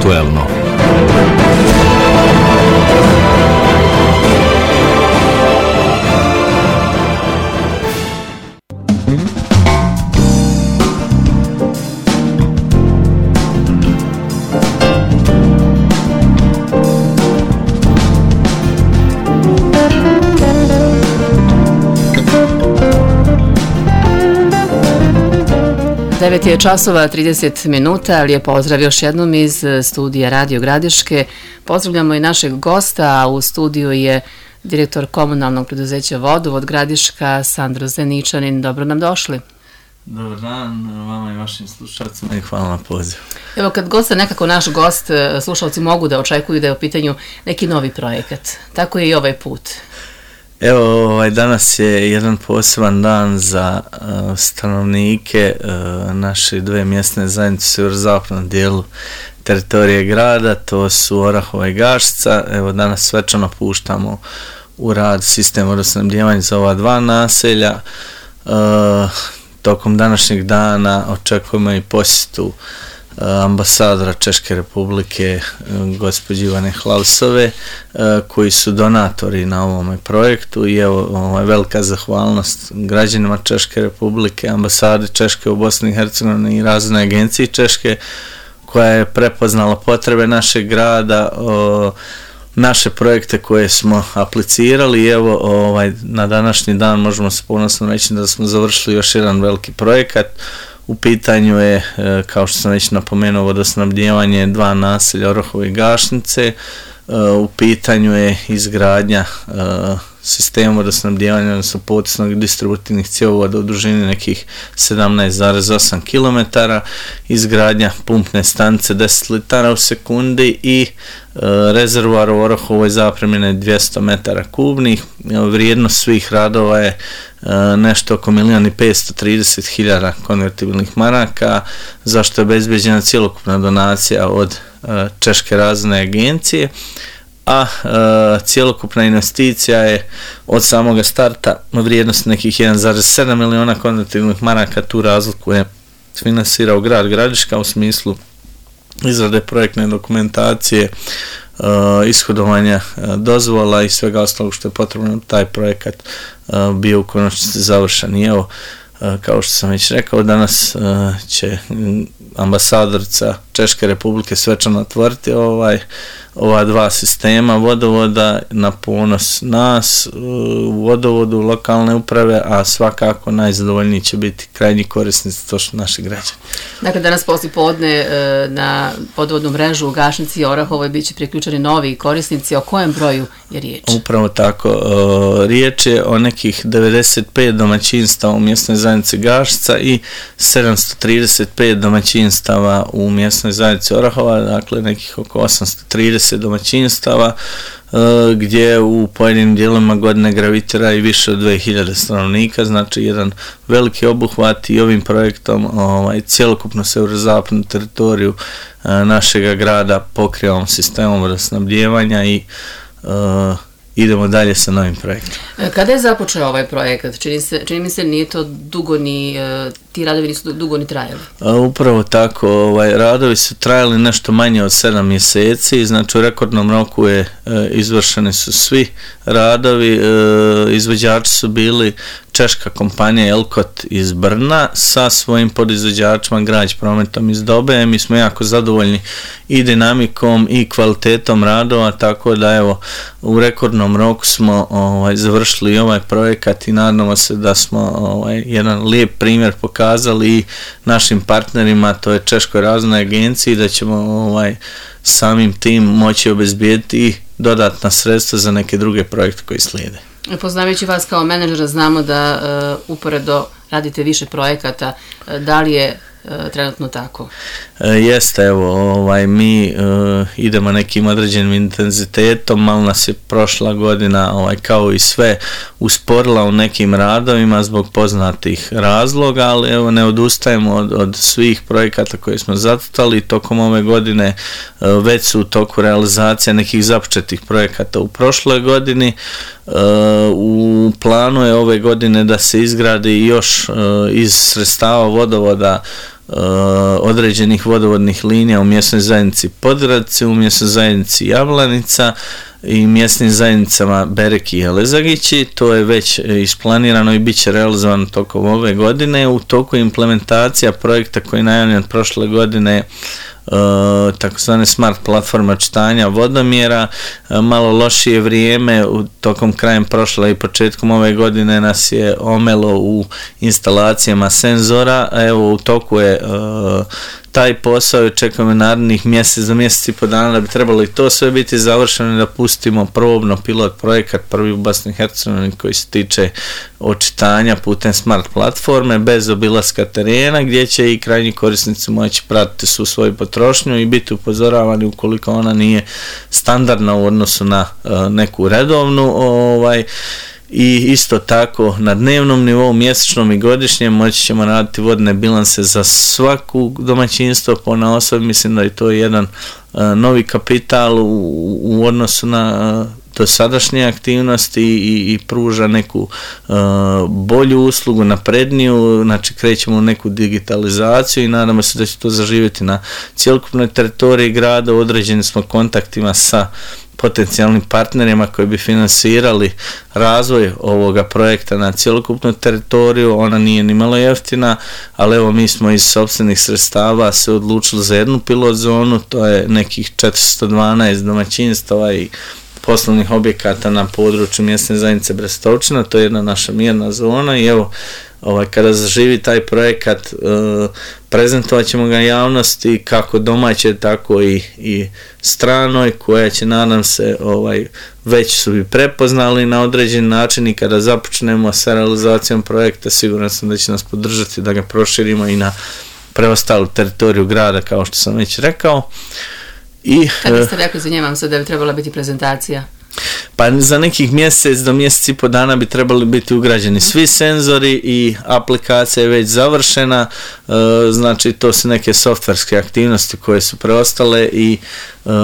Aktuelno. Devet je časova 30 minuta, lijep pozdrav još jednom iz studija Radio Gradiške. Pozdravljamo i našeg gosta, a u studiju je direktor komunalnog preduzeća Vodovod Gradiška, Sandro Zeničanin. Dobro nam došli. Dobar dan vama i vašim slušalcima i hvala na pozivu. Evo, kad gost je nekako naš gost, slušalci mogu da očekuju da je u pitanju neki novi projekat. Tako je i ovaj put. Evo, danas je jedan poseban dan za stanovnike naše dve mjesne zajednice u sjeverozapadnom dijelu teritorije grada, to su Orahova i Gaštica. Evo, danas svečano puštamo u rad sistem vodosnabdijevanja za ova dva naselja. Tokom današnjeg dana očekujemo i posjetu ambasadora Češke republike gospođe Ivane Hlausove, koji su donatori na ovome projektu, i evo velika zahvalnost građanima Češke republike, ambasadi Češke u Bosni i Hercegovini i Razvojnoj agenciji Češke, koja je prepoznala potrebe našeg grada, naše projekte koje smo aplicirali, i evo na današnji dan možemo se ponosno reći da smo završili još jedan veliki projekat. U pitanju je, kao što sam već napomenuo, vodosnabdijevanje dva naselja Orahove i Gašnice. U pitanju je izgradnja sistema vodosnabdijevanja, odnosno potisnog distributivnih cjevovoda u dužini nekih 17,8 km, izgradnja pumpne stanice 10 litara u sekundi i rezervoar u Orahovoj zapremine 200 metara kubnih. Vrijednost svih radova je nešto oko 1.530.000 konvertibilnih maraka, zašto je obezbeđena cjelokupna donacija od Češke razvojne agencije, a cjelokupna investicija je od samoga starta vrijednost nekih 1,7 miliona konvertibilnih maraka. Tu razliku je finansirao grad Gradiška u smislu izrade projektne dokumentacije, ishodovanja dozvola i svega ostalog što je potrebno taj projekat bio u konačnici završen. I evo, kao što sam već rekao, danas će ambasadorica Češke republike svečano otvoriti ova dva sistema vodovoda na ponos nas u vodovodu, lokalne uprave, a svakako najzadovoljniji će biti krajnji korisnici, to su naši građani. Dakle, danas poslijepodne na vodovodnu mrežu u Gašnici i Orahovoj bit će priključeni novi korisnici. O kojem broju je riječ? Upravo tako. Riječ je o nekih 95 domaćinstava u mjesnoj zajednici Gašnica i 735 domaćinstava u mjesnoj zajednici Orahova, dakle nekih oko 830 domaćinstava, gdje u pojedinim dijelovima godine gravitira i više od 2000 stanovnika, znači jedan veliki obuhvat, i ovim projektom cjelokupno sjeverozapadnu teritoriju našega grada pokrivamo sistemom vodosnabdijevanja i idemo dalje sa novim projektom. Kada je započeo ovaj projekat? Čini mi se nije to dugo ti radovi nisu dugo ni trajali. Upravo tako, radovi su trajali nešto manje od 7 mjeseci, znači u rekordnom roku izvršeni su svi radovi. Izvođači su bili češka kompanija Elkot iz Brna sa svojim podizvođačima Grać prometom iz Dobe. Mi smo jako zadovoljni i dinamikom i kvalitetom radova, tako da evo u rekordnom roku smo završili ovaj projekat i nadamo se da smo jedan lijep primjer pokazali i našim partnerima, to je Češkoj razvojnoj agenciji, da ćemo samim tim moći obezbijeti i dodatna sredstva za neke druge projekte koji slijede. Poznavajući vas kao menadžera, znamo da uporedo radite više projekata. Da li je trenutno tako? Jeste, evo, mi idemo nekim određenim intenzitetom, malo nas je prošla godina, kao i sve, usporila u nekim radovima zbog poznatih razloga, ali evo, ne odustajemo od svih projekata koje smo zacrtali. Tokom ove godine već su u toku realizacija nekih započetih projekata u prošloj godini. U planu je ove godine da se izgradi još iz sredstava vodovoda određenih vodovodnih linija u mjesnoj zajednici Podgradci, u mjesnoj zajednici Jablanica i mjesnim zajednicama Bereki i Elezagići. To je već isplanirano i bit će realizovano tokom ove godine. U toku implementacija projekta koji je najavljen prošle godine, takozvane smart platforma čitanja vodomjera. Malo lošije vrijeme, tokom krajem prošle i početkom ove godine nas je omelo u instalacijama senzora. Evo, u toku je taj posao i čekamo narednih mjesec do mjesec i po dana da bi trebalo i to sve biti završeno i da pustimo probno pilot projekat prvi u Bosni i Hercegovini koji se tiče očitanja putem smart platforme bez obilaska terena, gdje će i krajnji korisnici moći pratiti svu svoju potrošnju i biti upozoravani ukoliko ona nije standardna u odnosu na neku redovnu. I isto tako na dnevnom nivou, mjesečnom i godišnjem moći ćemo raditi vodne bilanse za svaku domaćinstvo ponaosob. Mislim da je to jedan novi kapital u odnosu na dosadašnje aktivnosti i pruža neku bolju uslugu, napredniju, znači krećemo u neku digitalizaciju i nadamo se da će to zaživjeti na cjelokupnoj teritoriji grada. U određenim smo kontaktima sa potencijalnim partnerima koji bi finansirali razvoj ovoga projekta na cjelokupnu teritoriju. Ona nije ni malo jeftina, ali evo mi smo iz sopstvenih sredstava se odlučili za jednu pilot zonu, to je nekih 412 domaćinstava i poslovnih objekata na području mjesne zajednice Brestovčina. To je jedna naša mirna zona i evo, kada zaživi taj projekat, prezentovat ćemo ga javnosti kako domaće, tako i stranoj, koja će, nadam se, već su i prepoznali na određen način i kada započnemo sa realizacijom projekta, siguran sam da će nas podržati da ga proširimo i na preostalu teritoriju grada, kao što sam već rekao. Kada ste rekli, zanimam se da bi trebala biti prezentacija? Pa za nekih mjesec do mjesec i po dana bi trebali biti ugrađeni svi senzori i aplikacija je već završena, znači to su neke softverske aktivnosti koje su preostale i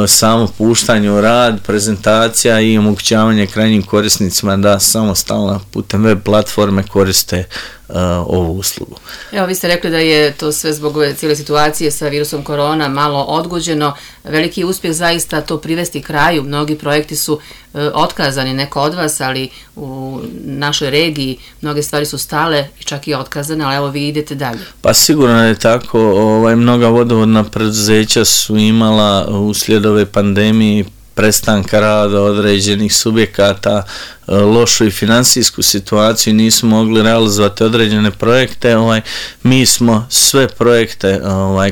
samo puštanje u rad, prezentacija i omogućavanje krajnjim korisnicima da samostalno putem web platforme koriste ovu uslugu. Evo, vi ste rekli da je to sve zbog ove cijele situacije sa virusom korona malo odgođeno. Veliki uspjeh zaista to privesti kraju. Mnogi projekti su otkazani, neko od vas, ali u našoj regiji mnoge stvari su stale i čak i otkazane, ali evo vi idete dalje. Pa sigurno je tako. Mnoga vodovodna preduzeća su imala uslijed ove pandemije prestanka rada određenih subjekata, lošu i financijsku situaciju, nisu mogli realizovati određene projekte. Mi smo sve projekte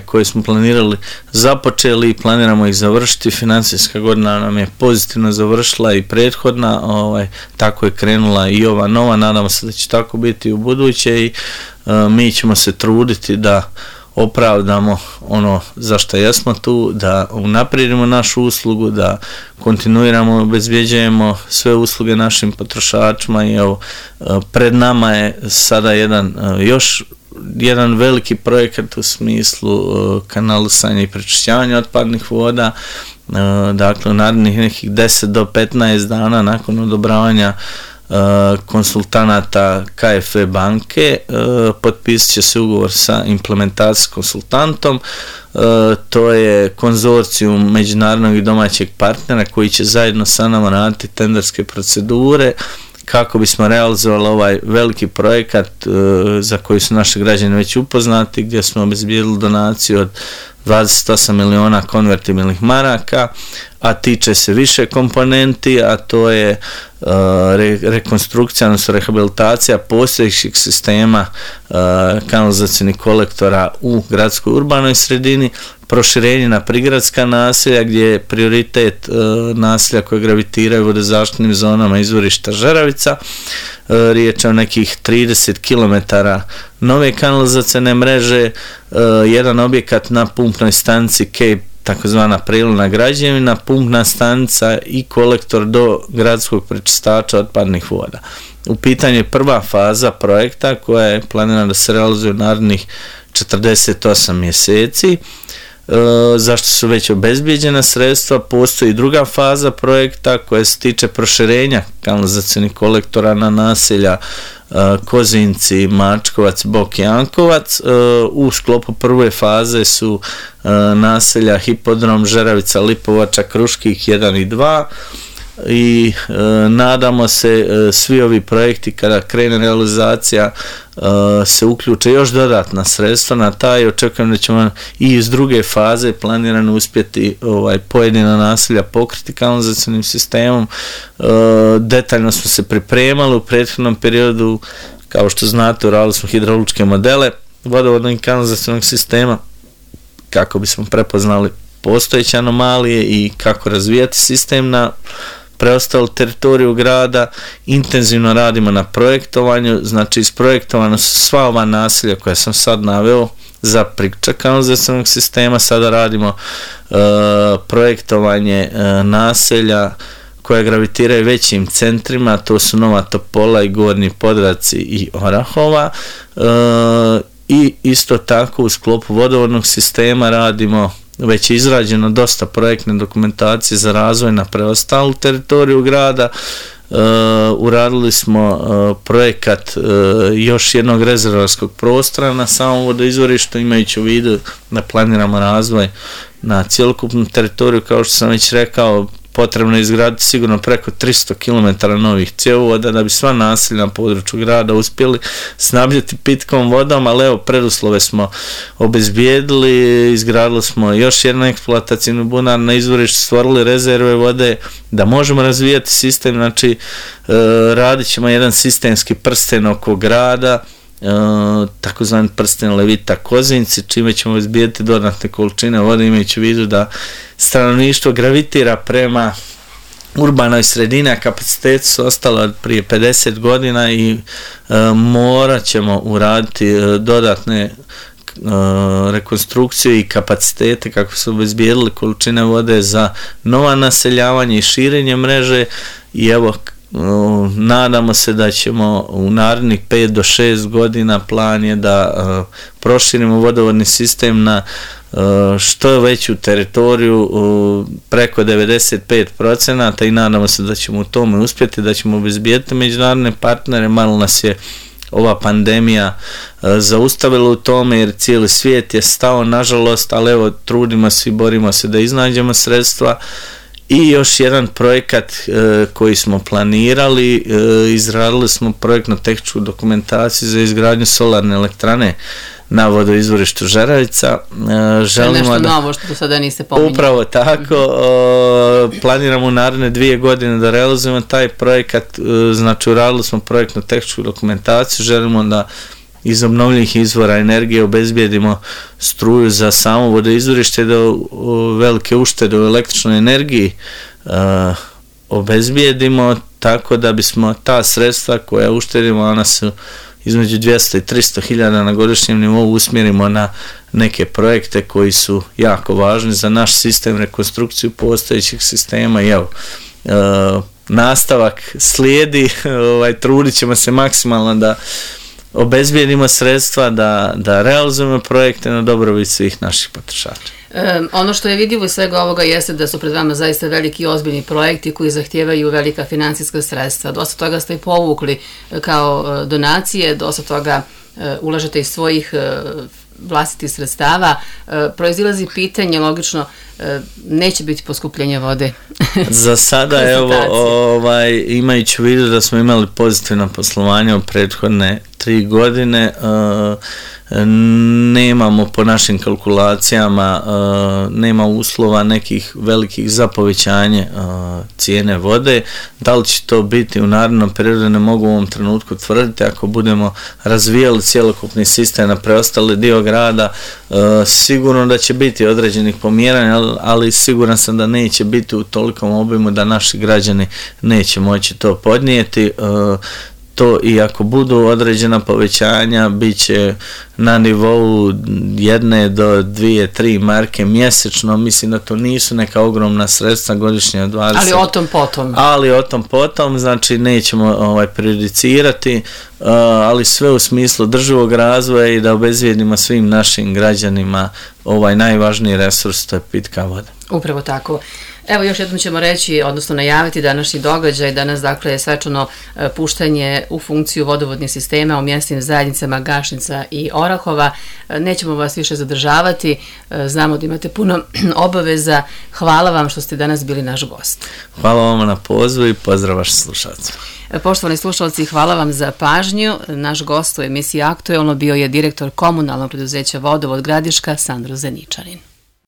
koje smo planirali započeli i planiramo ih završiti. Financijska godina nam je pozitivno završila i prethodna, tako je krenula i ova nova, nadamo se da će tako biti u buduće i mi ćemo se truditi da opravdamo ono zašto jesmo tu, da unaprijedimo našu uslugu, da kontinuiramo, obezbjeđujemo sve usluge našim potrošačima i evo, pred nama je sada još jedan veliki projekat u smislu kanalisanja i prečišćavanja otpadnih voda. Dakle, u narednih nekih 10 do 15 dana nakon odobravanja konsultanata KFV banke potpisit će se ugovor sa implementacijskim konsultantom. To je konzorcijum međunarodnog i domaćeg partnera koji će zajedno sa nama raditi tenderske procedure kako bismo realizovali ovaj veliki projekat za koji su naši građani već upoznati, gdje smo obezbijedili donaciju od 28 miliona konvertibilnih maraka, a tiče se više komponenti, a to je rekonstrukcija, odnosno rehabilitacija postojećih sistema kanalizacijnih kolektora u gradskoj urbanoj sredini, proširenje na prigradska naselja gdje je prioritet naselja koje gravitiraju vodozaštitnim zonama izvorišta Žeravica. Riječ je o nekih 30 km nove kanalizacijne mreže, jedan objekat na pumpnoj stanici Cape, takozvana prijelna građevina, pumpna stanica i kolektor do gradskog prečistača otpadnih voda. U pitanju je prva faza projekta koja je planirana da se realizuje u narednih 48 mjeseci. zašto su već obezbijeđena sredstva. Postoji druga faza projekta koja se tiče proširenja kanalizacionih kolektora na naselja Kozinci, Mačkovac, Bok i Jankovac. U sklopu prve faze su naselja Hipodrom, Žeravica, Lipovača, Kruških 1 i 2 i nadamo se svi ovi projekti kada krene realizacija se uključe još dodatna sredstva na taj. Očekujem da ćemo i iz druge faze planirano uspjeti pojedina naselja pokriti kanalizacionim sistemom. Detaljno smo se pripremali u prethodnom periodu, kao što znate, uradili smo hidrauličke modele vodovodnog i kanalizacionog sistema kako bismo prepoznali postojeće anomalije i kako razvijati sistem na preostalu teritoriju grada. Intenzivno radimo na projektovanju, znači isprojektovano su sva ova naselja koja sam sad naveo za priključak kanalizacionog sistema. Sada radimo projektovanje naselja koja gravitiraju većim centrima, to su Nova Topola i Gornji Podravci i Orahova. I isto tako u sklopu vodovodnog sistema radimo, već je izrađeno dosta projektne dokumentacije za razvoj na preostalu teritoriju grada. Uradili smo projekat još jednog rezervarskog prostora na samom vodoizvorištu, imajući u vidu da planiramo razvoj na cjelokupnu teritoriju. Kao što sam već rekao, potrebno je izgraditi sigurno preko 300 km novih cjevovoda da bi sva naselja na području grada uspjeli snabdjeti pitkom vodom, ali evo, preduslove smo obezbijedili, izgradili smo još jedan eksploatacijni bunar na izvorištu, stvorili rezerve vode da možemo razvijati sistem. Znači radit ćemo jedan sistemski prsten oko grada, takozvani prsten Levita Kozinci, čime ćemo izbijeti dodatne količine vode, imajući u vidu da stanovništvo gravitira prema urbanoj sredini, a kapaciteti su ostali od prije 50 godina i morat ćemo uraditi dodatne rekonstrukciju i kapacitete kako su obezbijedili količine vode za nova naseljavanje i širenje mreže. I evo, nadamo se da ćemo u narednih 5 do 6 godina, plan je da proširimo vodovodni sistem na što veću teritoriju, preko 95%, i nadamo se da ćemo u tome uspjeti, da ćemo obezbijediti međunarodne partnere. Malo nas je ova pandemija zaustavila u tome jer cijeli svijet je stao, nažalost, ali evo, trudimo se i borimo se da iznađemo sredstva. I još jedan projekat koji smo planirali, izradili smo projektno-tehničku dokumentaciju za izgradnju solarne elektrane na vodoizvorištu Žeravica. Želimo nešto novo što do sada niste pominjali. Upravo tako, planiramo u naredne 2 godine da realizujemo taj projekat. Znači, uradili smo projektno-tehničku dokumentaciju, želimo da iz obnovljivih izvora energije obezbijedimo struju za samo vodoizvorište, da velike uštede u električnoj energiji obezbijedimo, tako da bismo ta sredstva koja uštedimo, ona su između 200 i 300 hiljada na godišnjem nivou, usmjerimo na neke projekte koji su jako važni za naš sistem, rekonstrukciju postojećih sistema. I evo, nastavak slijedi, trudit ćemo se maksimalno da obezbijedimo sredstva, da realizujemo projekte na dobrobit svih naših potrošača. Ono što je vidljivo iz svega ovoga jeste da su pred vama zaista veliki i ozbiljni projekti koji zahtijevaju velika financijska sredstva. Dosta toga ste i povukli kao donacije, dosta toga ulažete iz svojih vlastitih sredstava. Proizilazi pitanje, logično, neće biti poskupljenja vode. Za sada, evo, imajući u vidu da smo imali pozitivno poslovanje u prethodne 3 godine, nemamo po našim kalkulacijama, nema uslova nekih velikih za povećanje cijene vode. Da li će to biti u narednom periodu, ne mogu u ovom trenutku tvrditi. Ako budemo razvijali cjelokupni sistem na preostali dio grada, sigurno da će biti određenih pomjeranja, ali siguran sam da neće biti u tolikom obimu da naši građani neće moći to podnijeti. to i ako budu određena povećanja, bit će na nivou 1 do 2, 3 marke mjesečno. Mislim da to nisu neka ogromna sredstva godišnje 20. Ali o tom potom, znači nećemo prejudicirati, ali sve u smislu državog razvoja i da obezvijedimo svim našim građanima ovaj najvažniji resurs, to je pitka voda. Upravo tako. Evo još jednom ćemo reći, odnosno najaviti današnji događaj. Danas dakle je svečano puštanje u funkciju vodovodnih sistema u mjesnim zajednicama Gašnica i Orahova. Nećemo vas više zadržavati, znamo da imate puno obaveza. Hvala vam što ste danas bili naš gost. Hvala vam na pozivu i pozdrav vašim slušalcima. Poštovani slušalci, hvala vam za pažnju. Naš gost u emisiji Aktuelno bio je direktor komunalnog preduzeća Vodovod Gradiška Sandro Zeničanin.